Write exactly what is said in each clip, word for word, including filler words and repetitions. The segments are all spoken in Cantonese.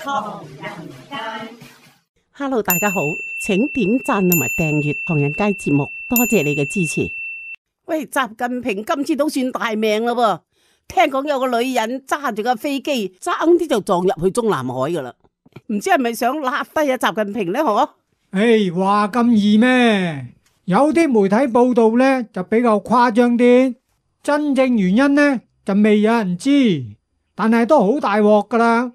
唐人街。Hello， 大家好，請點讚同埋訂閱唐人街節目，多謝你嘅支持。喂，習近平今次都算大命啦噃，聽講有個女人揸住架飛機，爭啲就撞入去中南海噶啦，唔知係咪想拉低啊習近平呢？嗬？誒，話咁易咩？有啲媒體報道呢就比較誇張啲，真正原因呢就未有人知，但係都好大鑊噶啦。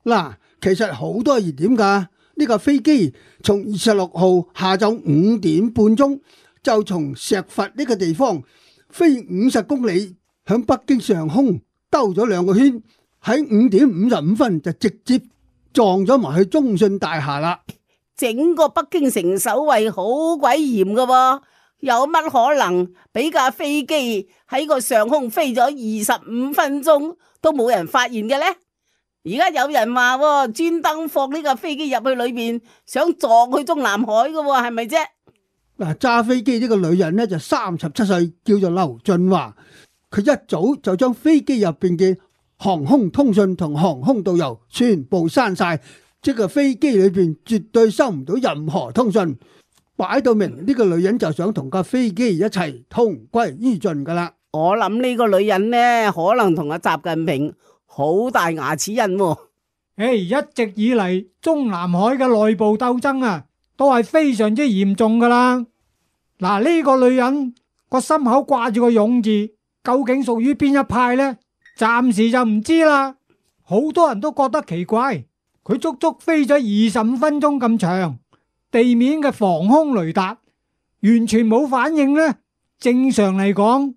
嗱，其實好多熱點噶。呢架飛機從二十六號下晝五點半鐘就從石佛呢個地方飛五十公里，響北京上空兜咗兩個圈，喺五點五十五分就直接撞咗埋去中信大廈啦。整個北京城守衛好鬼嚴噶喎，有乜可能俾架飛機喺個上空飛咗二十五分鐘都冇人發現嘅呢？而家有人話專登放呢架飛機入去裏邊，想撞去中南海嘅，係咪啫？嗱，揸飛機呢個女人呢就三十七歲，叫做劉俊華。佢一早就將飛機入邊嘅航空通訊同航空導遊全部刪晒，即係飛機裏邊絕對收唔到任何通訊，擺到明呢個女人就想同架飛機一齊同歸於盡噶啦。我諗呢個女人呢，可能同阿習近平好大牙齒印喎。誒，一直以嚟中南海嘅內部鬥爭啊，都係非常之嚴重噶啦。嗱，呢個女人個心口掛住個勇字，究竟屬於邊一派呢？暫時就唔知啦。好多人都覺得奇怪，佢足足飛咗二十五分鐘咁長，地面嘅防空雷達完全冇反應呢。正常嚟講，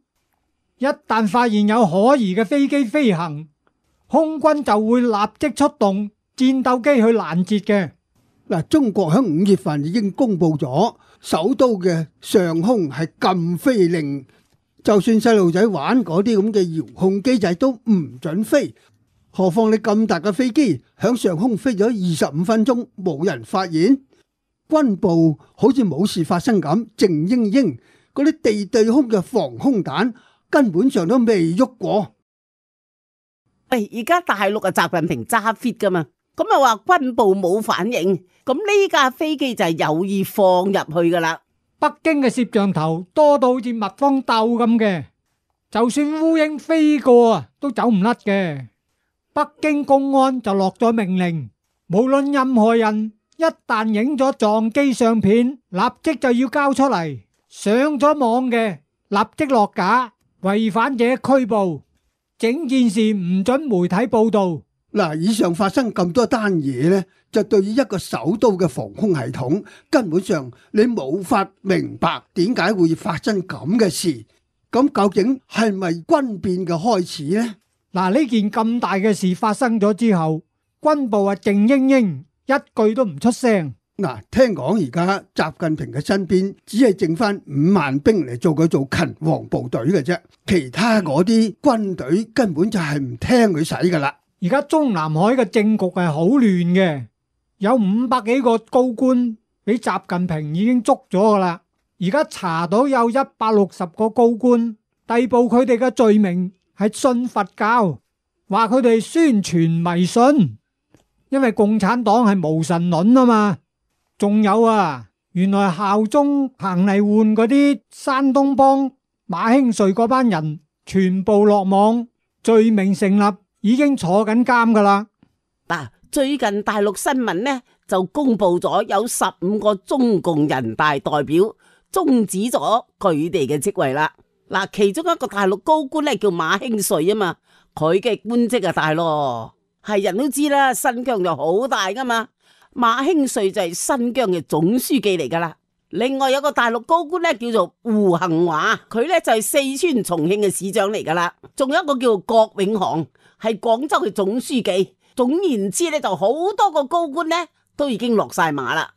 一旦發現有可疑嘅飛機飛行，空軍就會立即出動戰鬥機去攔截嘅。嗱，中國喺五月份已經公布咗首都嘅上空係禁飛令，就算細路仔玩嗰啲咁嘅遙控機仔都唔准飛，何況你咁大嘅飛機響上空飛咗二十五分鐘冇人發現，軍部好似冇事發生咁靜英英，嗰啲地對空嘅防空彈根本上都未喐過。喂，而家大陸啊，習近平揸 fit 噶嘛，咁啊話軍部冇反應，咁呢架飛機就係有意放入去噶啦。北京嘅攝像頭多到好似蜜蜂竇咁嘅，就算烏蠅飛過啊，都走唔甩嘅。北京公安就落咗命令，無論任何人一旦影咗撞機相片，立即就要交出嚟，上咗網嘅立即落架，違反者拘捕。整件事唔准媒體報道。嗱，以上發生咁多單嘢呢，就對於一個首都嘅防空系統，根本上你冇法明白點解會發生咁嘅事。咁究竟係咪軍變嘅開始呢？嗱，呢件咁大嘅事發生咗之後，軍部啊靜英英，一句都唔出聲。嗱，聽講而家習近平嘅身邊只係剩翻五萬兵嚟做佢做勤王部隊嘅啫，其他嗰啲軍隊根本就係唔聽佢使噶啦。而家中南海嘅政局係好亂嘅，有五百幾個高官俾習近平已經捉咗噶啦。而家查到有一百六十個高官，逮捕佢哋嘅罪名係信佛教，話佢哋宣傳迷信，因為共產黨係無神論啊嘛。仲有啊，原來效忠彭麗媛嗰啲山東幫馬興瑞嗰班人全部落網，罪名成立，已經坐緊監噶啦。嗱，最近大陸新聞呢就公布咗有十五個中共人大代表終止咗佢哋嘅職位啦。嗱，其中一個大陸高官咧叫馬興瑞啊嘛，佢嘅官職啊大咯，係人都知啦，新疆就好大噶嘛。馬興瑞就係新疆嘅總書記嚟噶啦。另外有個大陸高官咧叫做胡恒華，佢咧就係四川重慶嘅市長嚟噶啦。仲有一個叫做郭永航，係廣州嘅總書記。總言之咧，就好多個高官咧都已經落晒馬啦。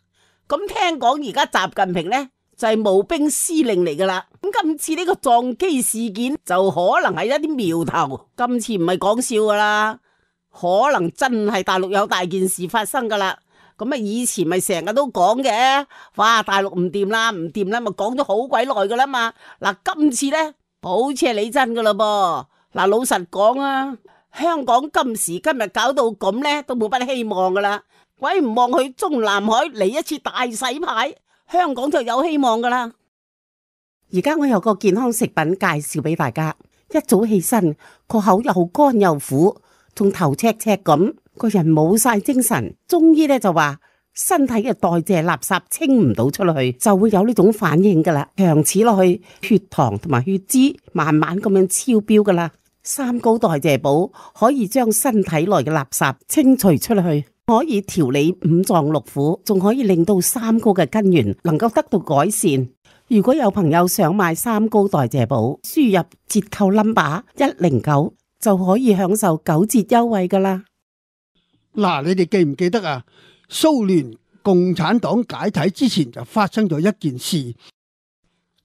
咁聽講而家習近平咧就係募兵司令嚟噶啦。咁今次呢個撞機事件就可能係一啲苗頭，今次唔係講笑噶啦，可能真係大陸有大件事發生噶啦。咁啊，以前咪成日都講嘅，哇，大陸唔掂啦，唔掂啦，咪講咗好鬼耐噶啦嘛。嗱，今次咧好似係你真噶啦噃。嗱，老實講啊，香港今時今日搞到咁呢，都冇乜希望噶啦。鬼唔望去中南海嚟一次大洗牌，香港就有希望噶啦。而家我有個健康食品介紹俾大家，一早起身個口又乾又苦，仲頭赤赤咁，個人冇晒精神。中醫咧就話身體嘅代謝垃圾清唔到出去，就會有呢種反應噶啦。長此落去，血糖同埋血脂慢慢咁樣超標噶啦。三高代謝寶可以將身體內嘅垃圾清除出去，可以調理五臟六腑，仲可以令到三高嘅根源能夠得到改善。如果有朋友想買三高代謝寶，輸入折扣 number 一零九就可以享受九折優惠噶啦。嗱，你哋記唔記得啊？蘇聯共產黨解體之前就發生咗一件事，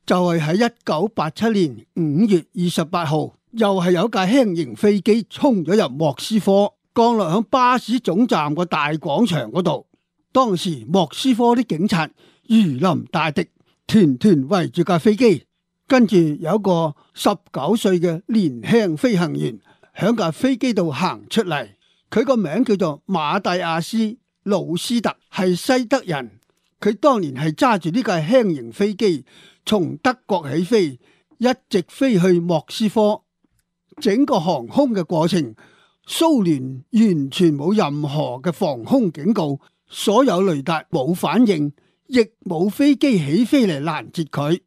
就係喺一九八七年五月二十八號，又係有架輕型飛機衝咗入莫斯科，降落響巴士總站個大廣場嗰度。當時莫斯科啲警察如臨大敵，團團圍住架飛機，跟住有一個十九歲嘅年輕飛行員響架飛機度行出嚟，佢個名叫做馬蒂亞斯·魯斯特，係西德人。佢當年係揸住呢架輕型飛機從德國起飛，一直飛去莫斯科。整個航空嘅過程，蘇聯完全冇任何嘅防空警告，所有雷達冇反應，亦冇飛機起飛嚟攔截佢。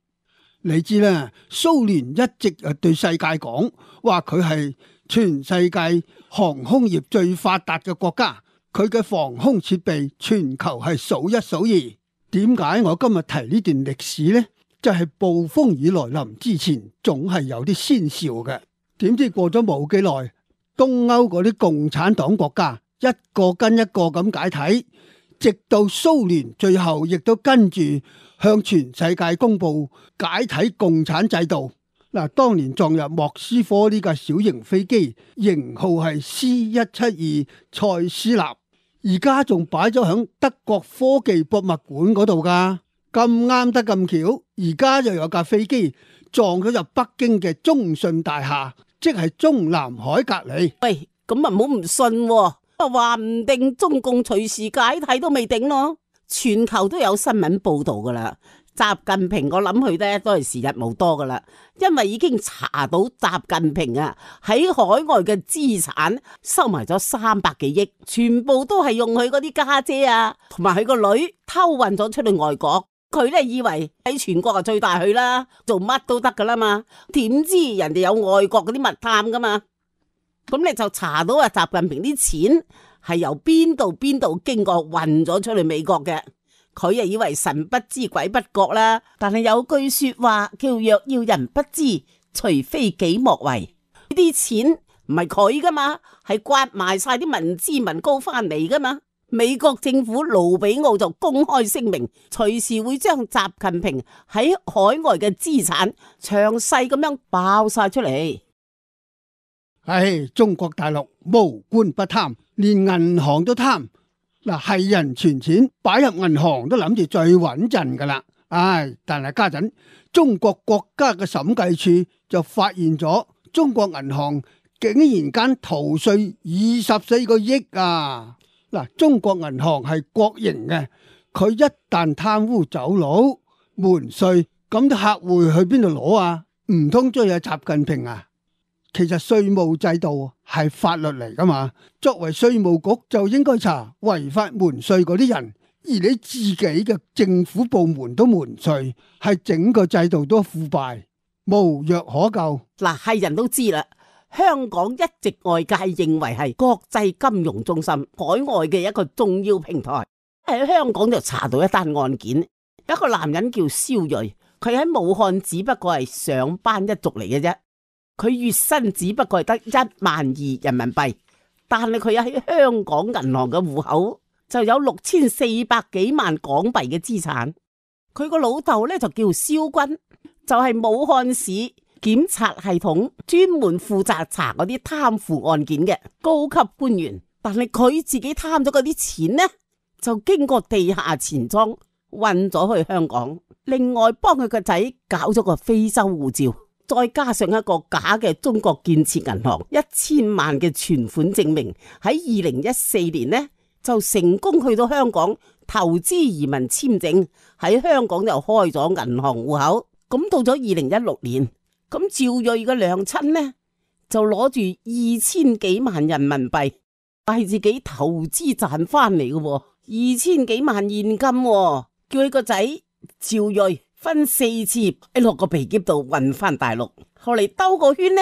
你知啦，蘇聯一直誒對世界講話佢係全世界航空業最發達嘅國家，佢嘅防空設備全球係數一數二。點解我今日提呢段歷史呢？就係暴風雨來臨之前，總係有啲先兆嘅。點知過咗冇幾耐，東歐嗰啲共產黨國家一個跟一個咁解體，直到蘇聯最後亦都跟住向全世界公布解體共產制度。嗱，當年撞入莫斯科呢架小型飛機，型號係 C 一七二塞斯納，而家仲擺咗響德國科技博物館嗰度噶。咁啱得咁巧，而家又有架飛機撞咗入北京嘅中信大廈，即係中南海隔籬。喂，咁啊唔好唔信喎，話唔定中共隨時解體都未定咯。全球都有新聞報道噶啦，習近平我諗佢咧都係時日無多噶啦，因為已經查到習近平啊喺海外嘅資產收埋咗三百幾億，全部都係用佢嗰啲家姐啊同埋佢個女偷運咗出去外國。佢咧以為喺全國啊最大去啦，做乜都得噶啦嘛，點知人哋有外國嗰啲密探噶嘛，咁你就查到啊習近平啲錢係由邊度邊度經過運咗出去美國嘅，佢啊以為神不知鬼不覺啦。但係有句說話叫若要人不知，除非己莫為，呢啲錢唔係佢噶嘛，係刮埋晒啲民脂民膏翻嚟噶嘛。美國政府盧比奧就公開聲明，隨時會將習近平喺海外嘅資產詳細咁樣爆晒出嚟。唉，中國大陸無官不貪，連銀行都貪。嗱，係人存錢擺入銀行都諗住最穩陣噶啦。唉，但係家陣中國國家嘅審計處就發現咗中國銀行竟然間逃稅二十四個億啊！嗱，中國銀行係國營嘅，佢一旦貪污走佬瞞稅，咁啲客戶去邊度攞啊？唔通追下習近平啊？其實稅務制度係法律嚟噶嘛，作為稅務局就應該查違法瞞稅嗰啲人，而你自己嘅政府部門都瞞稅，係整個制度都腐敗，無藥可救。嗱，係人都知啦。香港一直外界認為係國際金融中心，海外嘅一個重要平台。喺香港就查到一單案件，一個男人叫蕭睿，佢喺武漢只不過係上班一族嚟嘅啫，佢月薪只不過係得一萬二人民幣，但係佢喺香港銀行嘅戶口就有六千四百幾萬港幣嘅資產。佢個老豆咧就叫蕭軍，就係武漢市檢察系統專門負責查嗰啲貪腐案件嘅高級官員，但係佢自己貪咗嗰啲錢呢，就經過地下錢莊運咗去香港，另外幫佢個仔搞咗個非洲護照。再加上一個假嘅中國建設銀行一千萬嘅存款證明，喺二零一四年呢就成功去到香港投資移民簽證，喺香港就開咗銀行戶口。咁到咗二零一六年，咁趙睿嘅娘親呢就攞住二千幾萬人民幣係自己投資賺翻嚟嘅，二千幾萬現金，叫佢個仔趙睿分四次喺落個皮篋度運翻大陸，後嚟兜個圈呢，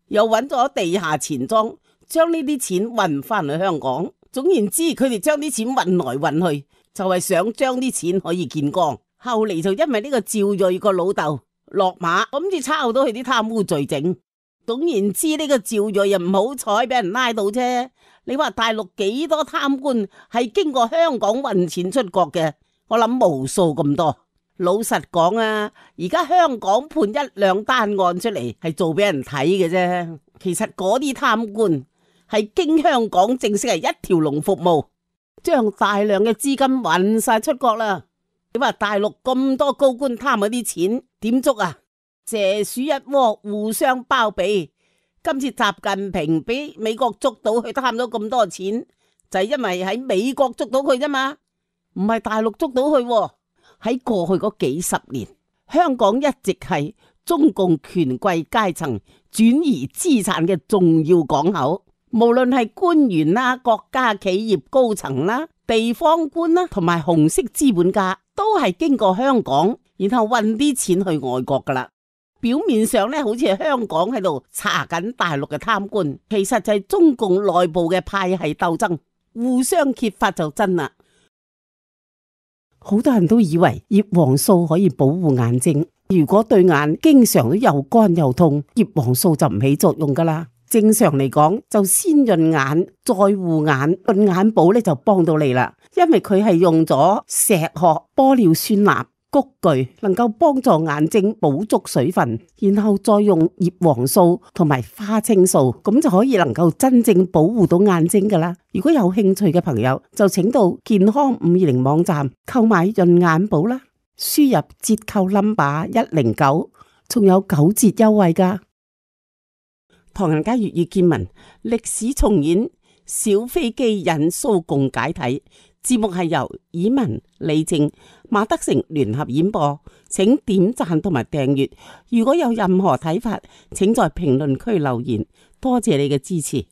又揾咗地下錢莊，將呢啲錢運翻去香港。總言之，佢哋將啲錢運來運去，就係想將啲錢可以見光。後嚟就因為呢個趙睿個老豆落馬，咁至抄到佢啲貪污罪證。總言之，呢個趙睿又唔好彩俾人拉到啫。你話大陸幾多貪官係經過香港運錢出國嘅？我諗無數咁多。老實講啊，而家香港判一兩單案出嚟係做俾人睇嘅啫。其實嗰啲貪官係經香港正式係一條龍服務，將大量嘅資金運晒出國啦。你話大陸咁多高官貪嗰啲錢點捉啊？蛇鼠一窩，互相包庇。今次習近平俾美國捉到佢貪咗咁多錢，就係因為喺美國捉到佢啫嘛，唔係大陸捉到佢。喺過去嗰幾十年，香港一直係中共權貴階層轉移資產嘅重要港口，無論係官員啦、國家企業高層啦、地方官啦，同埋紅色資本家，都係經過香港，然後運啲錢去外國噶啦。表面上咧，好似係香港喺度查緊大陸嘅貪官，其實就係中共內部嘅派系鬥爭，互相揭發就真啦。好多人都以為葉黃素可以保護眼睛，如果對眼經常都又乾又痛，葉黃素就唔起作用噶啦。正常嚟講，就先潤眼再護眼，潤眼寶咧就幫到你啦，因為佢係用咗石殼、玻尿酸鈉、菊苣，能夠幫助眼睛補足水分，然後再用葉黃素同埋花青素，咁就可以能夠真正保護到眼睛噶啦。如果有興趣嘅朋友，就請到健康五二零網站購買潤眼寶啦，輸入折扣 number 一零九，仲有九折優惠噶。唐人街粵語見聞歷史重演，小飛機引蘇共解體。節目係由以文、李靜、馬德成聯合演播，請點讚同埋訂閱。如果有任何睇法，請在評論區留言。多謝你嘅支持。